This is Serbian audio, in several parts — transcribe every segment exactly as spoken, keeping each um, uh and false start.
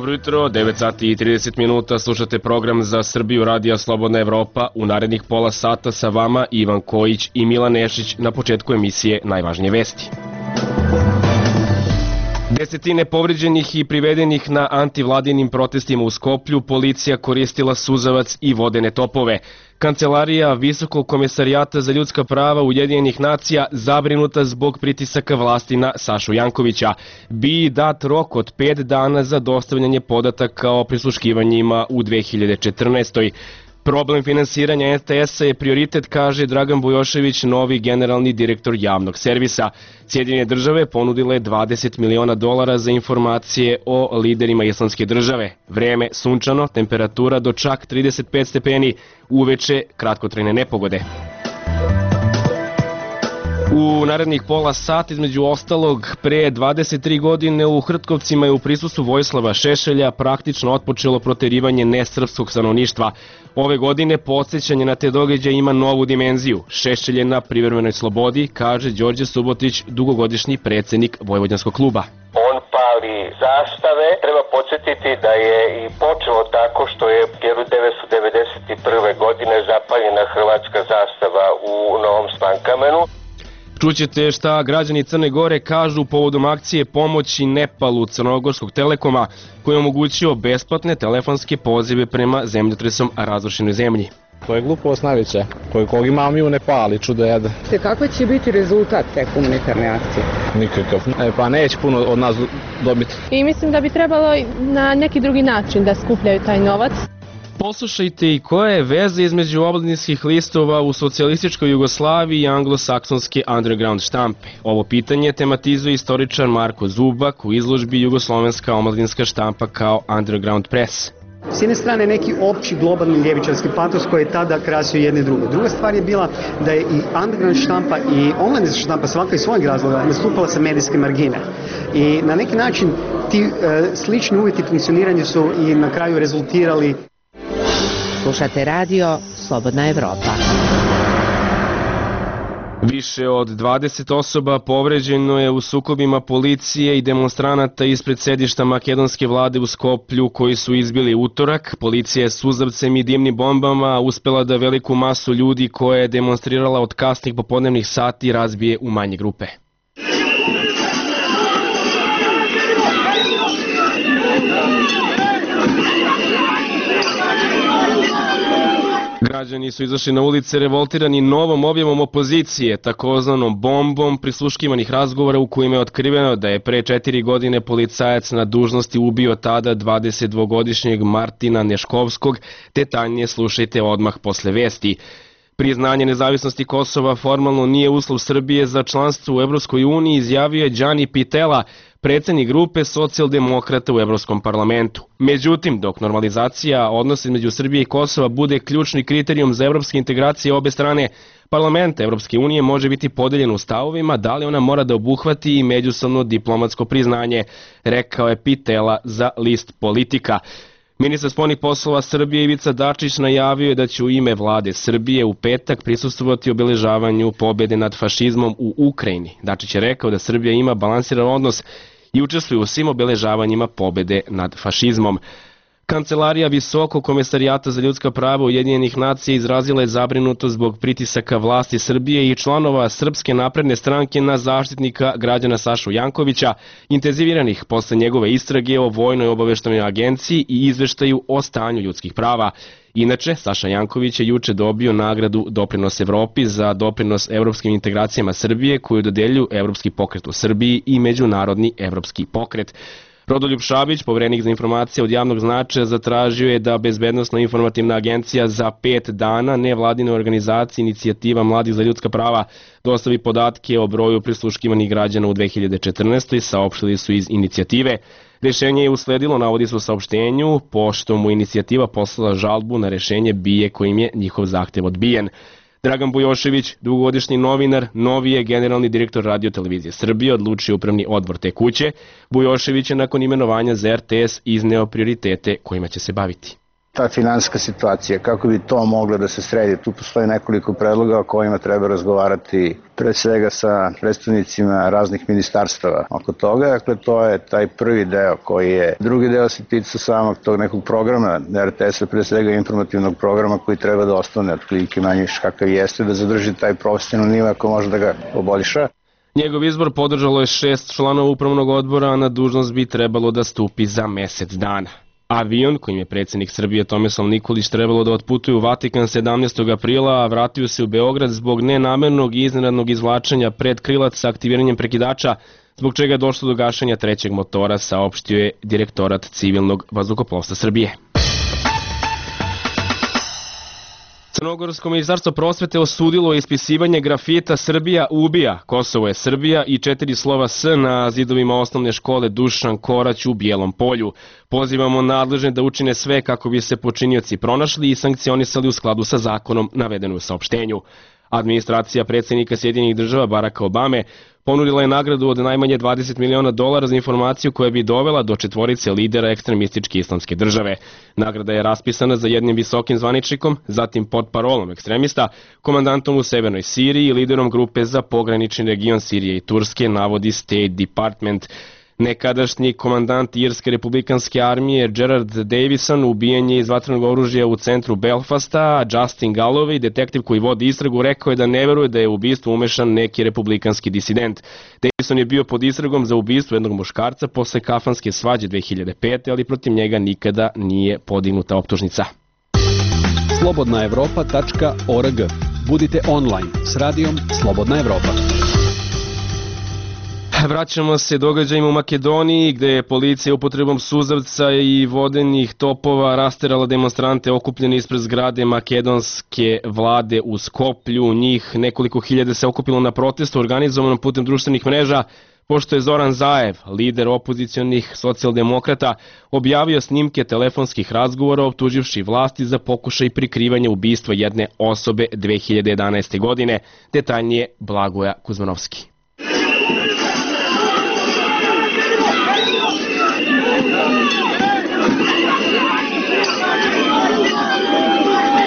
Dobro jutro, devet sati i trideset minuta, slušate program za Srbiju Radija Slobodna Evropa. U narednih pola sata sa vama Ivan Kojić i Milan Nešić na početku emisije Najvažnije vesti. Desetine povređenih i privedenih na antivladinim protestima u Skoplju, policija koristila suzavac i vodene topove. Kancelarija Visokog komesarijata za ljudska prava Ujedinjenih nacija zabrinuta zbog pritisaka vlasti na Sašu Jankovića. Bi dat rok od pet dana za dostavljanje podataka o prisluškivanjima u dve hiljade četrnaestoj. Problem finansiranja R T S-a je prioritet, kaže Dragan Bujošević, novi generalni direktor javnog servisa. Sjedinjene države ponudile dvadeset miliona dolara za informacije o liderima islamske države. Vreme sunčano, temperatura do čak trideset pet stepeni, uveče kratkotrajne nepogode. U narednih pola sat, između ostalog, pre dvadeset tri godine u Hrtkovcima je u prisustvu Vojislava Šešelja praktično otpočelo proterivanje nesrpskog stanovništva. Ove godine podsjećanje na te događaje ima novu dimenziju. Šešelj je na privremenoj slobodi, kaže Đorđe Subotić, dugogodišnji predsednik Vojvođanskog kluba. On pali zastave. Treba podsjetiti da je i počelo tako što je hiljadu devetsto devedeset prve. godine zapaljena hrvatska zastava u Novom Slankamenu. Čućete šta građani Crne Gore kažu povodom akcije pomoći Nepalu Crnogorskog Telekoma, koji je omogućio besplatne telefonske pozive prema zemljotresom razrušenoj zemlji. To je glupost najveća, kojeg imamo i u Nepali, čudo jedan. Kakva će biti rezultat te humanitarne akcije? Nikakav. E, pa neće puno od nas dobiti. I mislim da bi trebalo na neki drugi način da skupljaju taj novac. Poslušajte i koja je veza između omladinskih listova u socijalističkoj Jugoslaviji i anglosaksonske underground štampe. Ovo pitanje tematizuje istoričar Marko Zubak u izložbi Jugoslovenska omladinska štampa kao underground press. S jedne strane neki opći globalni ljevičarski patos koji je tada krasio jedne i druge. Druga stvar je bila da je i underground štampa i omladinska štampa svaka iz svojeg razloga nastupala sa medijske margine. I na neki način ti e, slični uvjeti funkcioniranja su i na kraju rezultirali. Slušate radio Slobodna Evropa. Više od dvadeset osoba povređeno je u sukobima policije i demonstranata ispred sedišta makedonske vlade u Skoplju koji su izbili utorak. Policija je suzavcem i dimnim bombama uspela da veliku masu ljudi koja je demonstrirala od kasnih popodnevnih sati razbije u manje grupe. Građani su izašli na ulice revoltirani novom objavom opozicije, takozvanom bombom prisluškivanih razgovora u kojima je otkriveno da je pre četiri godine policajac na dužnosti ubio tada dvadesetdvogodišnjeg Martina Neškovskog. Detaljnije slušajte odmah posle vesti. Priznanje nezavisnosti Kosova formalno nije uslov Srbije za članstvo u Evropskoj uniji, izjavio je Đani Pitela, predsednik grupe socijaldemokrata u Evropskom parlamentu. Međutim, dok normalizacija odnosa između Srbije i Kosova bude ključni kriterijum za evropske integracije obe strane, parlament Evropske unije može biti podeljen u stavovima da li ona mora da obuhvati i međusobno diplomatsko priznanje, rekao je Pitela za list Politika. Ministar spoljnih poslova Srbije Ivica Dačić najavio je da će u ime vlade Srbije u petak prisustvovati obeležavanju pobjede nad fašizmom u Ukrajini. Dačić je rekao da Srbija ima balansiran odnos i učestvuje u svim obeležavanjima pobjede nad fašizmom. Kancelarija Visokog komesarijata za ljudska prava Ujedinjenih nacija izrazila je zabrinutost zbog pritisaka vlasti Srbije i članova Srpske napredne stranke na zaštitnika građana Sašu Jankovića, intenziviranih posle njegove istrage o vojnoj obaveštajnoj agenciji i izveštaju o stanju ljudskih prava. Inače, Saša Janković je juče dobio nagradu Doprinos Evropi za doprinos evropskim integracijama Srbije koju dodeljuju Evropski pokret u Srbiji i Međunarodni evropski pokret. Rodoljub Šabić, poverenik za informacije od javnog značaja, zatražio je da Bezbednosno-informativna agencija za pet dana nevladine organizacije Inicijativa mladih za ljudska prava dostavi podatke o broju prisluškivanih građana u dve hiljade četrnaestoj. Saopštili su iz inicijative. Rešenje je usledilo, navodi se u saopštenju, pošto mu inicijativa poslala žalbu na rešenje B I E kojim je njihov zahtev odbijen. Dragan Bujošević, dugogodišnji novinar, novi je generalni direktor Radio televizije Srbije, odlučio upravni odbor te kuće. Bujošević je nakon imenovanja za R T S izneo prioritete kojima će se baviti. ta finansijska situacija, kako bi to moglo da se sredi. Tu postoji nekoliko predloga o kojima treba razgovarati pre svega sa predstavnicima raznih ministarstava oko toga. Dakle, to je taj prvi deo koji je. Drugi deo se tiče samog tog nekog programa R T S-a, pre svega informativnog programa koji treba da ostane otprilike manje kakav jeste, da zadrži taj profesionalni nivo ako može da ga poboljša. Njegov izbor podržalo je šest članova upravnog odbora, a na dužnost bi trebalo da stupi za mesec dana. Avion, kojim je predsjednik Srbije Tomislav Nikolić trebalo da otputuje u Vatikan sedamnaestog aprila, a vratio se u Beograd zbog nenamernog i iznenadnog izvlačenja pred krilac sa aktiviranjem prekidača, zbog čega je došlo do gašenja trećeg motora, saopštio je Direktorat civilnog vazduhoplovstva Srbije. Crnogorsko ministarstvo prosvete osudilo ispisivanje grafita Srbija ubija, Kosovo je Srbija i četiri slova S na zidovima osnovne škole Dušan Korać u Bijelom Polju. Pozivamo nadležne da učine sve kako bi se počinioci pronašli i sankcionisali u skladu sa zakonom, navedeno u saopštenju. Administracija predsjednika Sjedinjenih država Baracka Obame ponudila je nagradu od najmanje dvadeset miliona dolara za informaciju koja bi dovela do četvorice lidera ekstremističke islamske države. Nagrada je raspisana za jednim visokim zvaničnikom, zatim pod parolom ekstremista, komandantom u Severnoj Siriji i liderom grupe za pogranični region Sirije i Turske, navodi State Department. Nekadašnji komandant Irske republikanske armije Gerard Davison ubijen je iz vatrenog oružja u centru Belfasta, a Justin Galloway, detektiv koji vodi istragu, rekao je da ne veruje da je u ubistvo umešan neki republikanski disident. Davison je bio pod istragom za ubistvo jednog muškarca posle kafanske svađe dve hiljade pete. ali protiv njega nikada nije podignuta optužnica. slobodna evropa tačka org. Budite online s radijom Slobodna Evropa. Vraćamo se događajima u Makedoniji, gde je policija upotrebom suzavca i vodenih topova rasterala demonstrante okupljeni ispred zgrade makedonske vlade u Skoplju. Njih nekoliko hiljada se okupilo na protestu organizovanom putem društvenih mreža, pošto je Zoran Zaev, lider opozicionih socijaldemokrata, objavio snimke telefonskih razgovora optuživši vlasti za pokušaj prikrivanja ubistva jedne osobe dve hiljade jedanaeste. godine. Detaljnije Blagoja Kuzmanovski.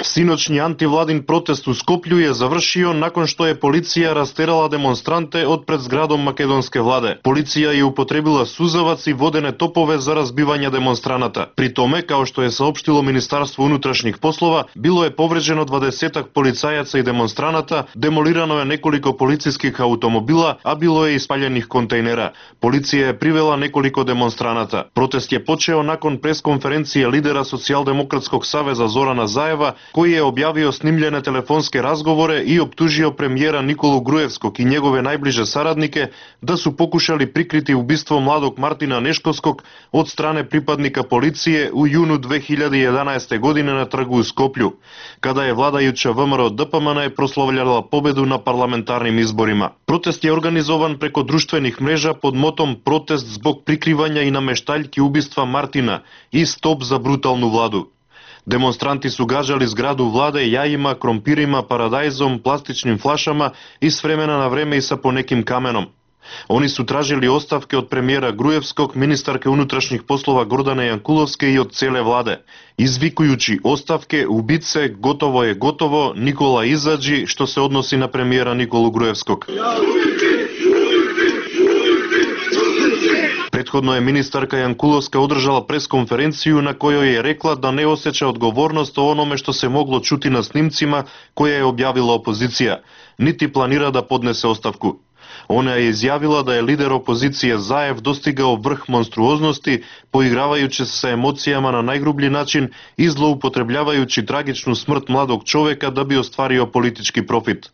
Sinoćni antivladin protest u Skoplju je završio nakon što je policija rasterala demonstrante od pred zgradom makedonske vlade. Policija je upotrebila suzavac i vodene topove za razbivanje demonstranata. Pri tome, kao što je saopštilo Ministarstvo unutrašnjih poslova, bilo je povređeno dvadesetak policajaca i demonstranata, demolirano je nekoliko policijskih automobila, a bilo je i spaljenih kontejnera. Policija je privela nekoliko demonstranata. Protest je počeo nakon preskonferencije lidera Socijaldemokratskog saveza Zorana Zaeva, koji je objavio snimljene telefonske razgovore i optužio premijera Nikolu Grujevskog i njegove najbliže saradnike da su pokušali prikriti ubistvo mladog Martina Neškovskog od strane pripadnika policije u junu dve hiljade jedanaeste. godine na trgu u Skoplju, kada je vladajuća V M R O D P M N proslavljala pobedu na parlamentarnim izborima. Protest je organizovan preko društvenih mreža pod motom Protest zbog prikrivanja i nameštaljki ubistva Martina i Stop za brutalnu vladu. Demonstranti su gađali zgradu vlade jajima, krompirima, paradajzom, plastičnim flašama i s vremena na vreme i sa ponekim kamenom. Oni su tražili ostavke od premijera Grujevskog, ministarke unutrašnjih poslova Gordane Jankulovske i od cele vlade, izvikujući ostavke, ubice, gotovo je gotovo, Nikola izađi, što se odnosi na premijera Nikolu Grujevskog. Prethodno je ministarka Jankulovska održala preskonferenciju na kojoj je rekla da ne osjeća odgovornost o onome što se moglo čuti na snimcima koje je objavila opozicija, niti planira da podnese ostavku. Ona je izjavila da je lider opozicije Zaev dostigao vrh monstruoznosti, poigravajući se sa emocijama na najgrublji način i zloupotrebljavajući tragičnu smrt mladog čoveka da bi ostvario politički profit.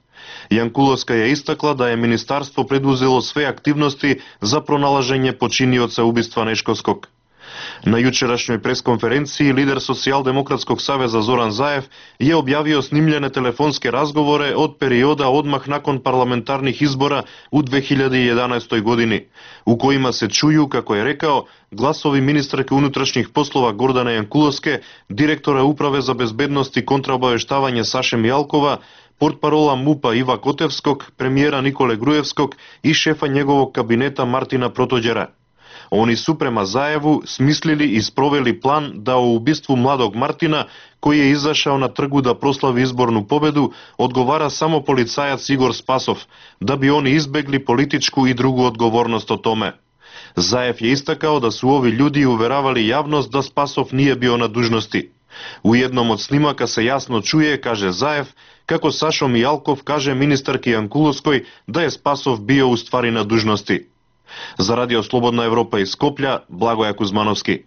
Jankulovska je istakla da je ministarstvo preduzelo sve aktivnosti za pronalaženje počinioca ubistva Neškovskog. Na jučerašnjoj preskonferenciji lider Socijaldemokratskog saveza Zoran Zaev je objavio snimljene telefonske razgovore od perioda odmah nakon parlamentarnih izbora u dve hiljade jedanaestoj. godini, u kojima se čuju, kako je rekao, glasovi ministarke unutrašnjih poslova Gordane Jankulovske, direktora Uprave za bezbednost i kontraobaveštavanje Saše Mijalkova, portparola MUP-a Iva Kotevskog, premijera Nikole Grujevskog i šefa njegovog kabineta Martina Protođera. Oni su prema Zajevu smislili i sproveli plan da o ubistvu mladog Martina, koji je izašao na trgu da proslavi izbornu pobedu, odgovara samo policajac Igor Spasov, da bi oni izbegli političku i drugu odgovornost o tome. Zajev je istakao da su ovi ljudi uveravali javnost da Spasov nije bio na dužnosti. U jednom od snimaka se jasno čuje, kaže Zajev, kako Sašo Mijalkov kaže ministarki Jankulovskoj da je Spasov bio u stvari na dužnosti. Za Radio Slobodna Evropa iz Skoplja, Blagoja Kuzmanovski.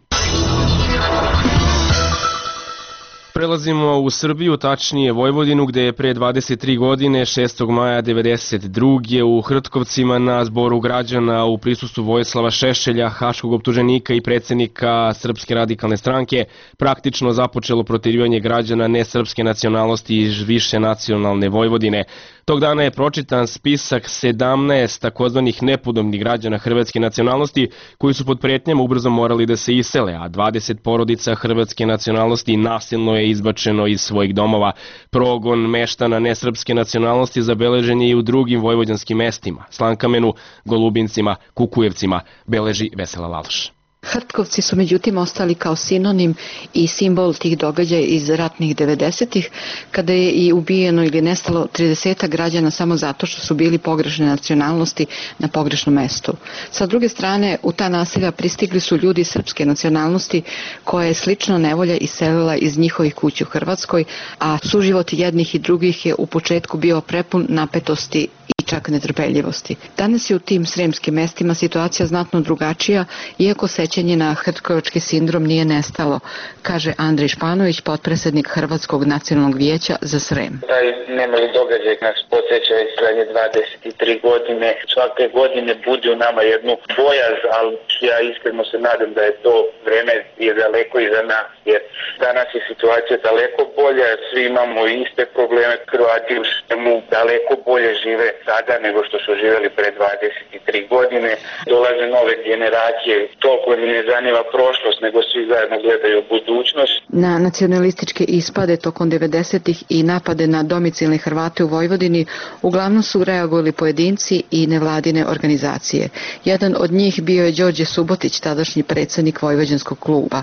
Prelazimo u Srbiju, tačnije Vojvodinu, gde je pre dvadeset tri godine, šestog maja devedeset druge u Hrtkovcima na zboru građana u prisustvu Vojislava Šešelja, haškog optuženika i predsjednika Srpske radikalne stranke, praktično započelo proterivanje građana nesrpske nacionalnosti iz više nacionalne Vojvodine. Tog dana je pročitan spisak sedamnaest takozvanih nepodobnih građana hrvatske nacionalnosti koji su pod pretnjama ubrzo morali da se isele, a dvadeset porodica hrvatske nacionalnosti nasilno je izbačeno iz svojih domova. Progon meštana nesrpske nacionalnosti zabeležen je i u drugim vojvođanskim mestima, Slankamenu, Golubincima, Kukujevcima, beleži Vesela Laloš. Hrtkovci su međutim ostali kao sinonim i simbol tih događaja iz ratnih devedesetih, kada je i ubijeno ili nestalo trideset građana samo zato što su bili pogrešne nacionalnosti na pogrešnom mestu. Sa druge strane, u ta naselja pristigli su ljudi srpske nacionalnosti koja je slično nevolja iselila iz njihovih kuća u Hrvatskoj, a suživot jednih i drugih je u početku bio prepun napetosti i čak netrpeljivosti. Danas je u tim sremskim mestima situacija znatno drugačija, iako sećanje na hrtkovački sindrom nije nestalo, kaže Andrej Španović, potpredsjednik Hrvatskog nacionalnog vijeća za Srem. Taj nemali događaj nas podsjeća već zadnje dvadeset tri godine. Svake godine budi u nama jednu bojaz, ali ja iskreno se nadam da je to vreme je daleko iza nas, jer danas je situacija daleko bolja, svi imamo iste probleme, Hrvati u svemu daleko bolje žive sada nego što su živjeli pre dvadeset tri godine. Dolaze nove generacije, toliko im ne zanima prošlost, nego svi zajedno gledaju budućnost. Na nacionalističke ispade tokom devedesetih i napade na domicilne Hrvate u Vojvodini uglavnom su reagovali pojedinci i nevladine organizacije. Jedan od njih bio je Đorđe Subotić, tadašnji predsjednik Vojvođanskog kluba.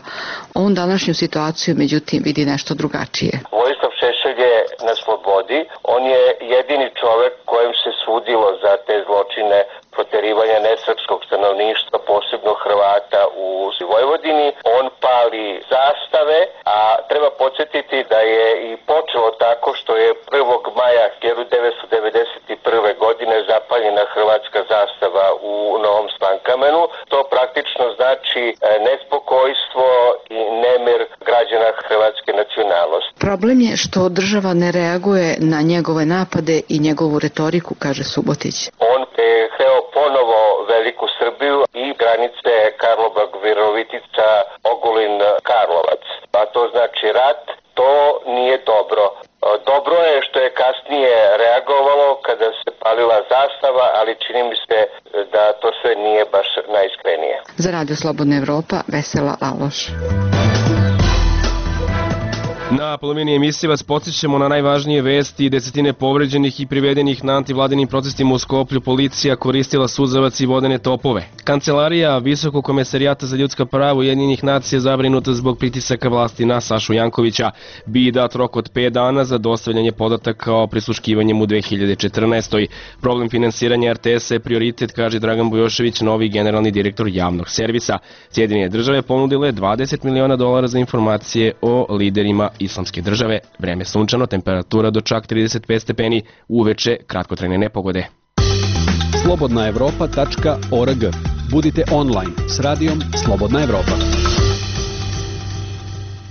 On današnju situaciju međutim vidi nešto drugačije. Vojislav Šešelj je na slobodi, on je jedini čovek kojem se sudilo za te zločine proterivanja nesrpskog stanovništva, posebno Hrvata u Vojvodini. On pali zastave, a treba podsjetiti da je i počelo tako što je prvog maja hiljadu devetsto devedeset prve. godine zapaljena hrvatska zastava u Novom Slankamenu. To praktično znači nespokojstvo i nemir građana hrvatske nacionalnosti. Problem je što država ne reaguje na njegove napade i njegovu retoriku, kaže Subotić. On je hteo ponovo Veliku Srbiju i granice Karlobag-Virovitica, Ogulin-Karlovac. A to znači rat, to nije dobro. Dobro je što je kasnije reagovalo kada se palila zastava, ali čini mi se da to sve nije baš najiskrenije. Za Radio Slobodna Evropa, Vesela Laloš. Na polovini emisije vas podsjećamo na najvažnije vesti. Desetine povređenih i privedenih na antivladinim protestima u Skoplju. Policija koristila suzavac i vodene topove. Kancelarija Visokog komesarijata za ljudska prava Ujedinjenih nacija zabrinuta zbog pritisaka vlasti na Sašu Jankovića. Bi dat rok od pet dana za dostavljanje podataka o prisluškivanjem u dve hiljade četrnaestoj. Problem finansiranja er te esa je prioritet, kaže Dragan Bujošević, novi generalni direktor javnog servisa. Sjedinjene države ponudile dvadeset miliona dolara za informacije o liderima islamske države. Vreme sunčano, temperatura do čak trideset pet stepeni, uveče kratkotrajne nepogode. slobodna evropa tačka org. Budite online s radijom Slobodna Evropa.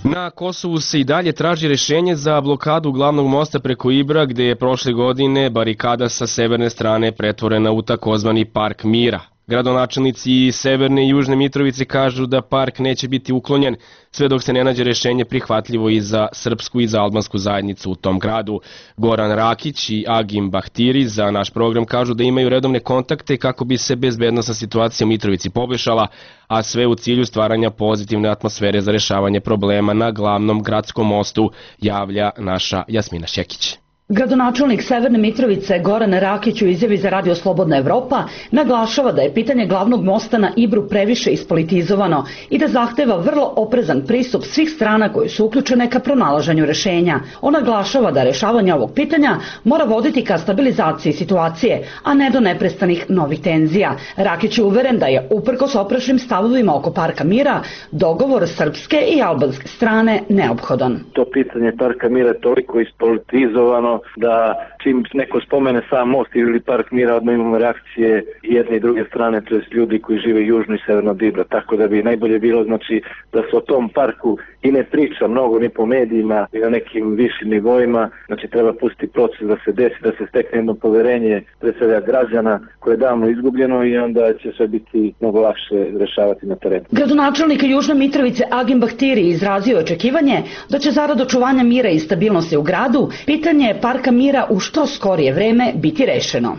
Na Kosovu se i dalje traži rešenje za blokadu glavnog mosta preko Ibra, gde je prošle godine barikada sa severne strane pretvorena u takozvani Park mira. Gradonačelnici Severne i Južne Mitrovice kažu da park neće biti uklonjen sve dok se ne nađe rešenje prihvatljivo i za srpsku i za albansku zajednicu u tom gradu. Goran Rakić i Agim Bahtiri za naš program kažu da imaju redovne kontakte kako bi se bezbednosna situacija u Mitrovici poboljšala, a sve u cilju stvaranja pozitivne atmosfere za rešavanje problema na glavnom gradskom mostu, javlja naša Jasmina Šekić. Gradonačelnik Severne Mitrovice Goran Rakić u izjavi za Radio Slobodna Evropa naglašava da je pitanje glavnog mosta na Ibru previše ispolitizovano i da zahteva vrlo oprezan pristup svih strana koje su uključene ka pronalaženju rešenja. On naglašava da rešavanje ovog pitanja mora voditi ka stabilizaciji situacije, a ne do neprestanih novih tenzija. Rakić je uveren da je, uprkos oprečnim stavovima oko Parka mira, dogovor srpske i albanske strane neophodan. To pitanje Parka mira je toliko ispolitizovano da čim neko spomene sam most ili Park mira, odmah imamo reakcije jedne i druge strane, to jest ljudi koji žive južno i severno od Ibra, tako da bi najbolje bilo znači da se o tom parku i ne priča mnogo ni po medijima i na nekim višim nivoima, znači treba pustiti proces da se desi, da se stekne jedno poverenje pre svega građana koje je davno izgubljeno i onda će sve biti mnogo lakše rešavati na terenu. Gradonačelnik Južne Mitrovice Agim Bahtiri izrazio očekivanje da će zarad očuvanja mira i stabilnosti u gradu pitanje Parka mira u što skorije vreme biti rešeno.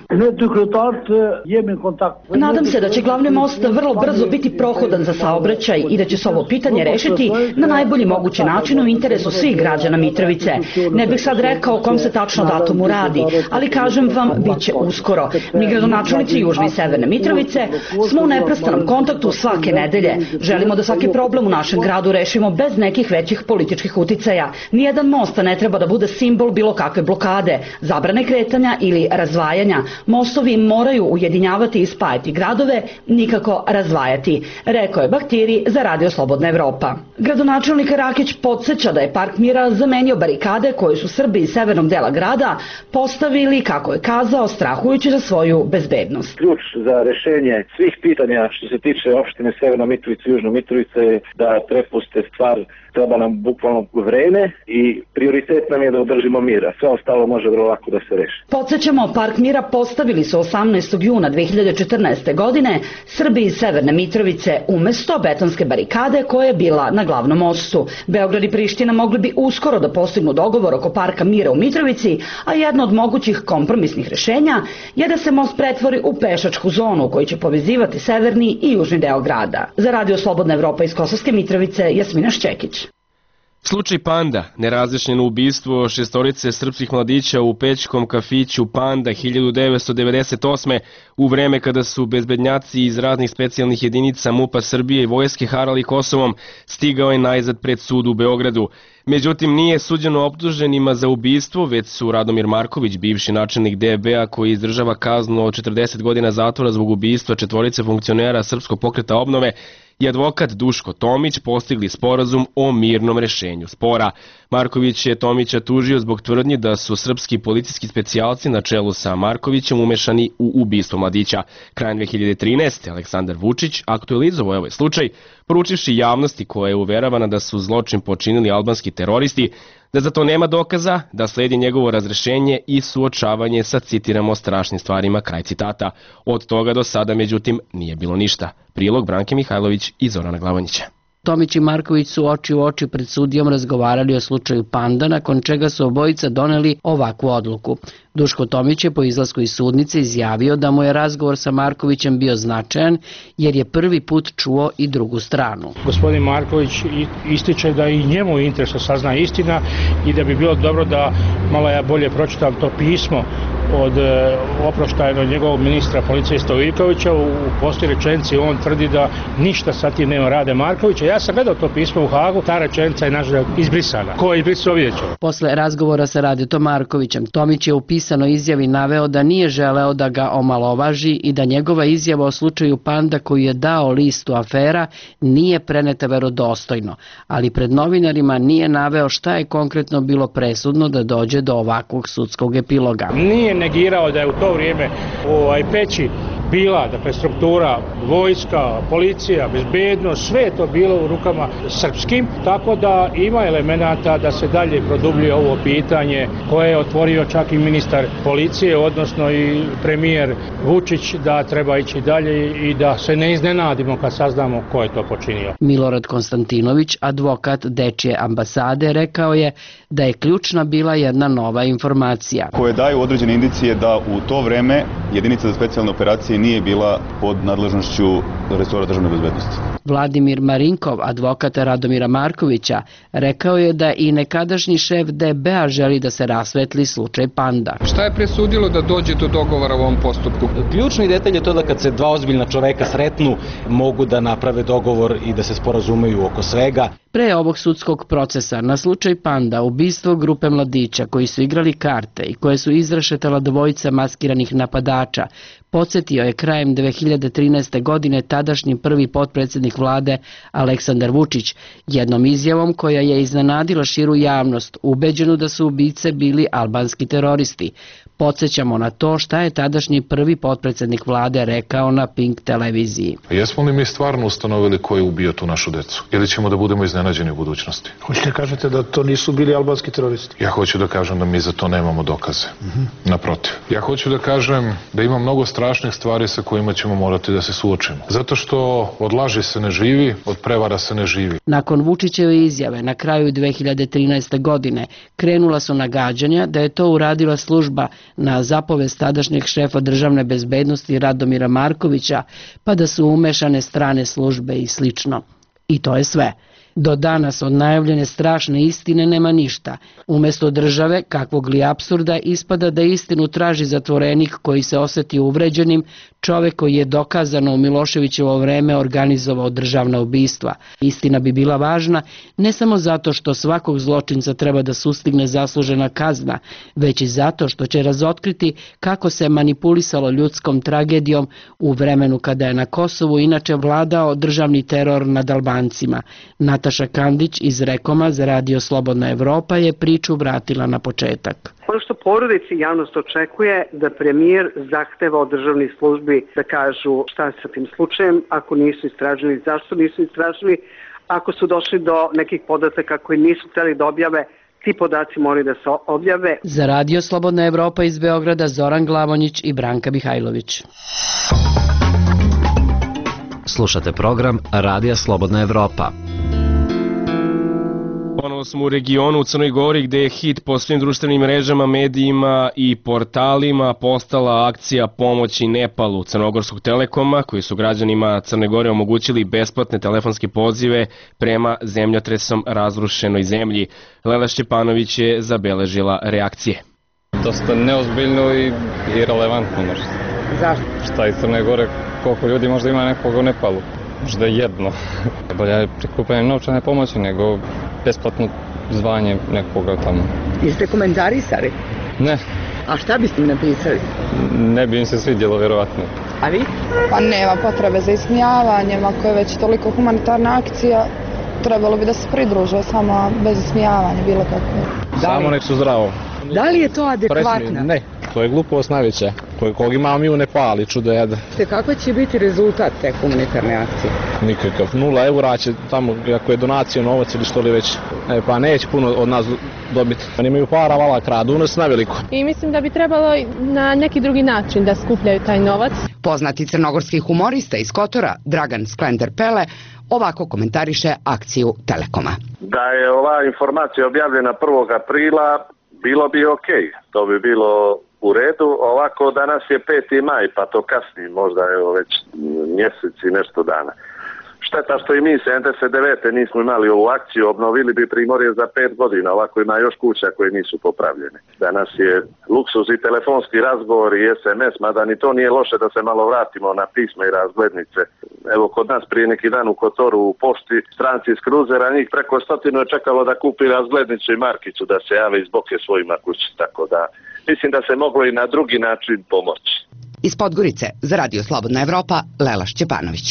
Nadam se da će glavni most vrlo brzo biti prohodan za saobraćaj i da će se ovo pitanje rešiti na najbolji mogući način u interesu svih građana Mitrovice. Ne bih sad rekao o kom se tačno datumu radi, ali kažem vam, bit će uskoro. Mi gradonačelnici Južne i Severne Mitrovice smo u neprestanom kontaktu svake nedelje. Želimo da svaki problem u našem gradu rešimo bez nekih većih političkih uticaja. Nijedan most ne treba da bude simbol bilo kakve blokade, zabrane kretanja ili razdvajanja. Mostovi moraju ujedinjavati i spajati gradove, nikako razdvajati, rekao je Bahtiri za Radio Slobodna Evropa. Gradonačelnik Rakić podsjeća da je Park mira zamenio barikade koje su Srbi iz severnog dela grada postavili, kako je kazao, strahujući za svoju bezbednost. Ključ za rešenje svih pitanja što se tiče opštine Severna Mitrovica i Južna Mitrovica je da prepuste stvar, treba nam bukvalno vreme i prioritet nam je da održimo mira. Sve ostalo može vrlo lako da se reši. Podsjećamo, Park mira postavili su osamnaestog juna dve hiljade četrnaeste. godine Srbi iz Severne Mitrovice umesto betonske barikade koja je bila na glavnom mostu. Beograd i Priština mogli bi uskoro da postignu dogovor oko Parka mira u Mitrovici, a jedno od mogućih kompromisnih rešenja je da se most pretvori u pešačku zonu koji će povezivati severni i južni deo grada. Za Radio Slobodna Evropa iz Kosovske Mitrovice, Jasmina Šćekić. Slučaj Panda, nerazjašnjeno ubistvo šestorice srpskih mladića u pećkom kafiću Panda hiljadu devetsto devedeset osme. u vreme kada su bezbednjaci iz raznih specijalnih jedinica MUP-a Srbije i vojske harali Kosovom, stigao je najzad pred sud u Beogradu. Međutim, nije suđeno optuženima za ubistvo, već su Radomir Marković, bivši načelnik D B A koji izdržava kaznu od četrdeset godina zatvora zbog ubistva četvorice funkcionera Srpskog pokreta obnove, i advokat Duško Tomić postigli sporazum o mirnom rešenju spora. Marković je Tomića tužio zbog tvrdnji da su srpski policijski specijalci na čelu sa Markovićem umešani u ubistvo mladića. Krajem dve hiljade trinaeste. Aleksandar Vučić aktualizovao ovaj slučaj, poručivši javnosti koja je uveravana da su zločin počinili albanski teroristi, da za to nema dokaza, da sledi njegovo razrešenje i suočavanje sa, citiramo, strašnim stvarima, kraj citata. Od toga do sada, međutim, nije bilo ništa. Prilog Branke Mihajlović i Zorana Glavonjića. Tomić i Marković su oči u oči pred sudijom razgovarali o slučaju Panda, nakon čega su obojica doneli ovakvu odluku. Duško Tomić je po izlasku iz sudnice izjavio da mu je razgovor sa Markovićem bio značajan jer je prvi put čuo i drugu stranu. Gospodin Marković ističe da i njemu je interes da sazna istina i da bi bilo dobro da malo ja bolje pročitam to pismo od oproštajnog njegovog ministra policije Stojikovića. U posljednjoj rečenici on tvrdi da ništa sa tim nema rade Markovića. Ja sam gledao to pismo u Hagu, ta rečenica je nažalost izbrisana. Ko je izbrisao, vidjet ćemo. Posle razgovora sa Radetom Markovićem, Tomić je u pisanoj izjavi naveo da nije želeo da ga omalovaži i da njegova izjava o slučaju Panda koju je dao listu afera nije preneta verodostojno, ali pred novinarima nije naveo šta je konkretno bilo presudno da dođe do ovakvog sudskog epiloga. Nije negirao da je u to vrijeme ovaj peći bila, dakle, struktura vojska, policija, bezbednost, sve je to bilo u rukama srpskim, tako da ima elemenata da se dalje produbljuje ovo pitanje koje je otvorio čak i ministar policije, odnosno i premijer Vučić, da treba ići dalje i da se ne iznenadimo kad saznamo ko je to počinio. Milorad Konstantinović, advokat Dečije ambasade, rekao je da je ključna bila jedna nova informacija. Koje daju određene indicije da u to vreme jedinica za specijalne operacije nije bila pod nadležnošću resora državne bezbednosti. Vladimir Marinkov, advokat Radomira Markovića, rekao je da i nekadašnji šef D B A želi da se rasvetli slučaj Panda. Šta je presudilo da dođe do dogovora u ovom postupku? Ključni detalj je to da kad se dva ozbiljna čoveka sretnu, mogu da naprave dogovor i da se sporazumeju oko svega. Pre ovog sudskog procesa na slučaj Panda, ubistvo grupe mladića koji su igrali karte i koje su izrešetala dvojica maskiranih napadača, podsjetio je krajem dve hiljade trinaeste. godine tadašnji prvi potpredsjednik vlade Aleksandar Vučić, jednom izjavom koja je iznenadila širu javnost, ubeđenu da su ubice bili albanski teroristi. Podsjećamo na to šta je tadašnji prvi potpredsjednik vlade rekao na Pink televiziji. Jesmo li mi stvarno ustanovili ko je ubio tu našu decu? Ili ćemo da budemo iznenađeni u budućnosti? Hoćete kažete da to nisu bili albanski teroristi? Ja hoću da kažem da mi za to nemamo dokaze. Mm-hmm. Naprotiv. Ja hoću da kažem da ima mnogo strašnih stvari sa kojima ćemo morati da se suočimo. Zato što od laži se ne živi, od prevara se ne živi. Nakon Vučićeve izjave na kraju dve hiljade trinaeste. godine krenula su nagađanja da je to uradila služba na zapovest tadašnjeg šefa državne bezbednosti Radomira Markovića, pa da su umešane strane službe i slično. I to je sve. Do danas od najavljene strašne istine nema ništa. Umesto države, kakvog li apsurda, ispada da istinu traži zatvorenik koji se osjeti uvređenim, čovek koji je dokazano u Miloševićevo vreme organizovao državna ubistva. Istina bi bila važna ne samo zato što svakog zločinca treba da sustigne zaslužena kazna, već i zato što će razotkriti kako se manipulisalo ljudskom tragedijom u vremenu kada je na Kosovu inače vladao državni teror nad Albancima. Nataša Kandić iz Rekoma za Radio Slobodna Evropa je priču vratila na početak. Ono što porodici javnost očekuje da premijer zahteva od državnih službi da kažu šta je sa tim slučajem, ako nisu istražili, zašto nisu istražili, ako su došli do nekih podataka koji nisu hteli da objave, ti podaci moraju da se objave. Za Radio Slobodna Evropa iz Beograda Zoran Glavonjić i Branka Mihajlović. Slušate program Radija Slobodna Evropa. Ponovo smo u regionu u Crnoj Gori gde je hit po svim društvenim mrežama, medijima i portalima postala akcija pomoći Nepalu Crnogorskog Telekoma, koji su građanima Crne Gore omogućili besplatne telefonske pozive prema zemljotresom razrušenoj zemlji. Lela Šćepanović je zabeležila reakcije. Dosta neozbiljno i irelevantno možda. Zašto? Šta iz Crne Gore, koliko ljudi možda ima nekoga u Nepalu? Možda jedno. Bolje je prikupljanje novčane pomoći nego besplatno zvanje nekoga tamo. Jeste komentarisali? Ne. A šta biste im napisali? Ne bi im se svidjelo, vjerovatno. A vi? Pa nema potrebe za ismijavanjem, ako je već toliko humanitarna akcija, trebalo bi da se pridruže samo bez ismijavanja, bilo kako. Samo nek su zdravo. Da li je to adekvatno? Presmi, ne, to je glupost najveća, kog imamo mi u Nepali, čudo jeda. Kakva će biti rezultat te humanitarne akcije? Nikakav, nula eura će tamo, ako je donacija novac ili što li već, e, pa neće puno od nas dobiti. Oni imaju para, vala kradu, nas na veliko. I mislim da bi trebalo na neki drugi način da skupljaju taj novac. Poznati crnogorski humorista iz Kotora, Dragan Sklender Pele, ovako komentariše akciju Telekoma. Da je ova informacija objavljena prvog aprila, bilo bi ok, to bi bilo u redu. Ovako danas je peti maj, pa to kasni možda evo već mjesec i nešto dana. Šteta što i mi sedamdeset devete nismo imali ovu akciju, obnovili bi Primorje za pet godina, ovako ima još kuća koje nisu popravljene. Danas je luksuz i telefonski razgovor i es em es, mada ni to nije loše da se malo vratimo na pisma i razglednice. Evo kod nas prije neki dan u Kotoru u pošti stranci iz kruzera, njih preko stotinu je čekalo da kupi razglednicu i markicu da se jave iz boke svojima kući, tako da mislim da se moglo i na drugi način pomoći. Iz Podgorice za Radio Slobodna Evropa, Lela Šćepanović.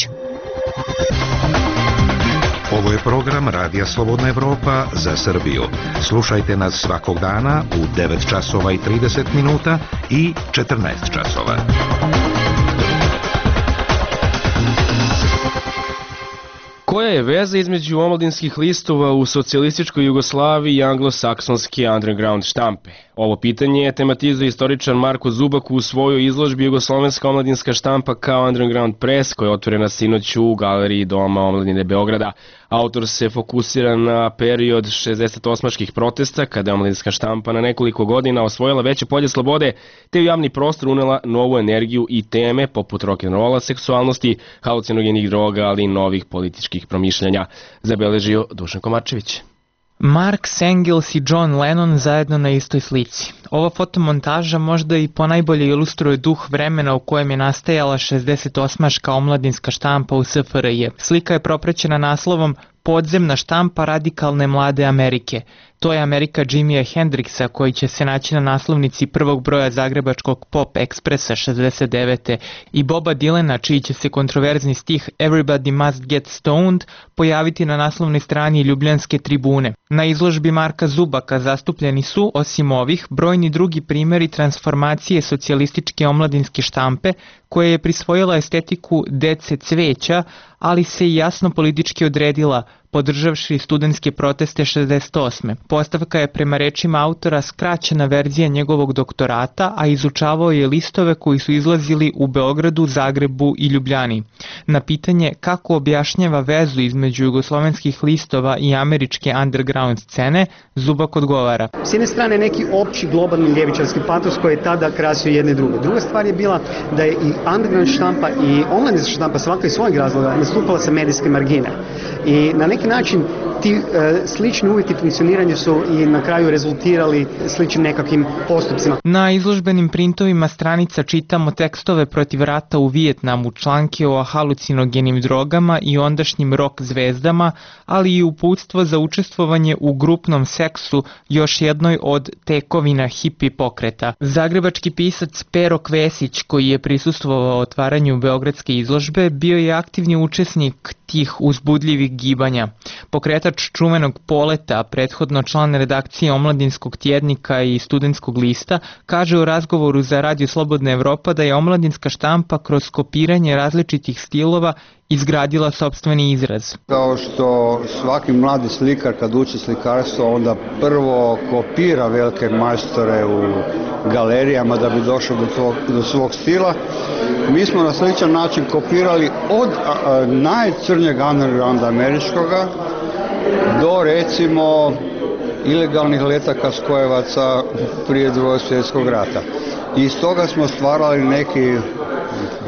Ovo je program Radija Slobodna Evropa za Srbiju. Slušajte nas svakog dana u devet časova i trideset minuta i četrnaest časova. Koja je veza između omladinskih listova u socijalističkoj Jugoslaviji i anglosaksonske underground štampe? Ovo pitanje je tematizuje istoričar Marko Zubak u svojoj izložbi Jugoslovenska omladinska štampa kao underground press, koja je otvorena sinoć u galeriji Doma omladine Beograda. Autor se fokusira na period šezdesetosmaških protesta, kada je omladinska štampa na nekoliko godina osvojila veće polje slobode, te u javni prostor unela novu energiju i teme poput rock'n'rolla, seksualnosti, halucinogenih droga, ali i novih političkih promišljanja, zabeležio Dušan Komarčević. Mark Engels i John Lennon zajedno na istoj slici. Ova fotomontaža možda i ponajbolje ilustruje duh vremena u kojem je nastajala šezdesetosmaška omladinska štampa u S F R J. Slika je propraćena naslovom Podzemna štampa radikalne mlade Amerike. To je Amerika Jimija Hendrixa, koji će se naći na naslovnici prvog broja zagrebačkog Pop Ekspresa šezdeset devete i Boba Dylana, čiji će se kontroverzni stih Everybody Must Get Stoned pojaviti na naslovnoj strani Ljubljanske tribune. Na izložbi Marka Zubaka zastupljeni su, osim ovih, brojni drugi primjeri transformacije socijalističke omladinske štampe, koja je prisvojila estetiku dece cveća, ali se i jasno politički odredila, podržavši studentske proteste šezdeset osme. Postavka je prema rečima autora skraćena verzija njegovog doktorata, a izučavao je listove koji su izlazili u Beogradu, Zagrebu i Ljubljani. Na pitanje kako objašnjava vezu između jugoslovenskih listova i američke underground scene, Zubak odgovara. S jedne strane neki opći globalni ljevičarski patos koji je tada krasio jedne i druge. Druga stvar je bila da je i underground štampa i omladinska štampa svaka iz svojeg razloga nastupala sa medijske margine. I na neki način ti e, slični uvjeti funkcioniranja su i na kraju rezultirali sličnim nekakvim postupcima. Na izložbenim printovima stranica čitamo tekstove protiv rata u Vijetnamu, članke o halucinogenim drogama i ondašnjim rock zvezdama, ali i uputstvo za učestvovanje u grupnom seksu, još jednoj od tekovina hipi pokreta. Zagrebački pisac Pero Kvesić, koji je prisustvovao otvaranju beogradske izložbe, bio je aktivni učesnik tih uzbudljivih gibanja. Pokretač čuvenog Poleta, prethodno član redakcije Omladinskog tjednika i Studentskog lista, kaže u razgovoru za Radio Slobodna Evropa da je omladinska štampa kroz kopiranje različitih stilova izgradila sopstveni izraz. Kao što svaki mladi slikar kad uči slikarstvo onda prvo kopira velike majstore u galerijama da bi došao do, tvog, do svog stila, mi smo na sličan način kopirali od a, a, najcrnjeg undergrounda američkoga do recimo ilegalnih letaka skojevaca prije Drugog svjetskog rata. I iz toga smo stvarali neki,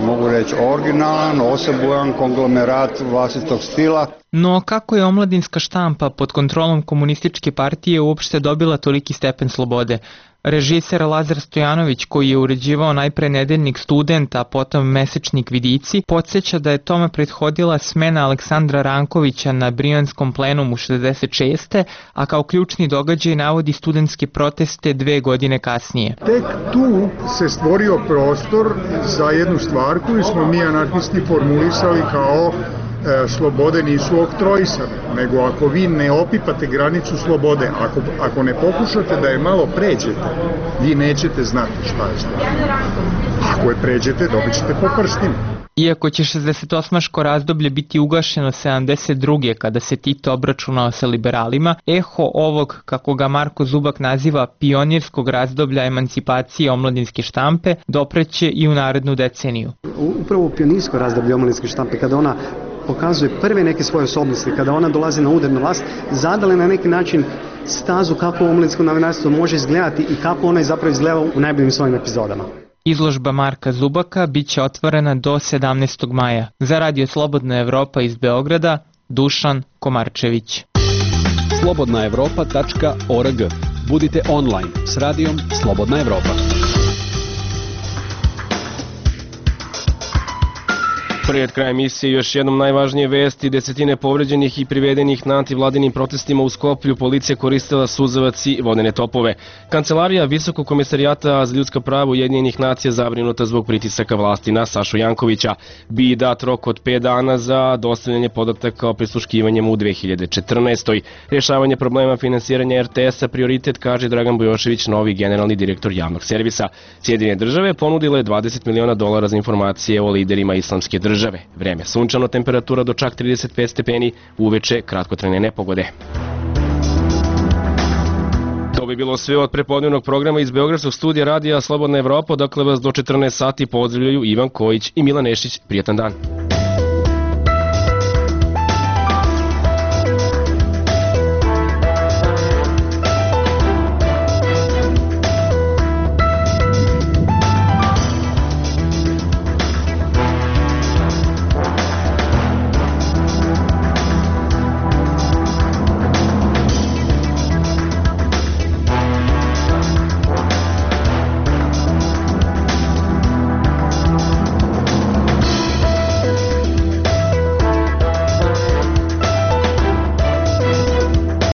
mogu reći, originalan, osebujan konglomerat vlastitog stila. No kako je omladinska štampa pod kontrolom komunističke partije uopšte dobila toliki stepen slobode? Režiser Lazar Stojanović, koji je uređivao najpre nedeljnik Student, a potom mesečnik Vidici, podsjeća da je tome prethodila smena Aleksandra Rankovića na Brijanskom plenumu šezdeset šeste, a kao ključni događaj navodi studentske proteste dve godine kasnije. Tek tu se stvorio prostor za jednu stvar koju smo mi anarhisti formulisali kao e, slobode nisu oktroisane, nego ako vi ne opipate granicu slobode, ako, ako ne pokušate da je malo pređete, vi nećete znati šta je sloboda. Ako je pređete, dobit ćete po prstima. Iako će šezdesetosmaško razdoblje biti ugašeno sedamdeset druge kada se Tito obračunao sa liberalima, eho ovog, kako ga Marko Zubak naziva, pionirskog razdoblja emancipacije omladinske štampe, dopreće i u narednu deceniju. Upravo u pionirsko razdoblje omladinske štampe, kada ona pokazuje prve neke svoje osobnosti, kada ona dolazi na udarnu vlast, zadala na neki način stazu kako omladinsko novinarstvo može izgledati i kako ona je zapravo izgledala u najboljim svojim epizodama. Izložba Marka Zubaka bit će otvorena do sedamnaestog maja. Za Radio Slobodna Evropa iz Beograda, Dušan Komarčević. slobodna evropa tačka org. Budite online s radijom Slobodna Evropa. Pred kraj emisije još jednom najvažnije vesti: desetine povređenih i privedenih na antivladinim protestima u Skoplju, policija koristila suzavac i vodene topove. Kancelarija Visokog komisarijata za ljudska prava Ujedinjenih nacija zabrinuta zbog pritisaka vlasti na Sašu Jankovića. Bi dat rok od pet dana za dostavljanje podataka o prisluškivanjem u dve hiljade četrnaestoj. Rješavanje problema finansiranja er te esa prioritet, kaže Dragan Bujošević, novi generalni direktor javnog servisa. Sjedinjene države ponudile dvadeset miliona dolara za informacije o liderima islamske države. države. Vreme sunčano, temperatura do čak trideset pet stepeni, uveče kratkotrajne nepogode. To bi bilo sve od prepodnevnog programa iz Beogradskog studija radija Slobodna Evropa, dakle vas do četrnaest sati pozdravljaju Ivan Kojić i Milan Nešić. Prijatan dan.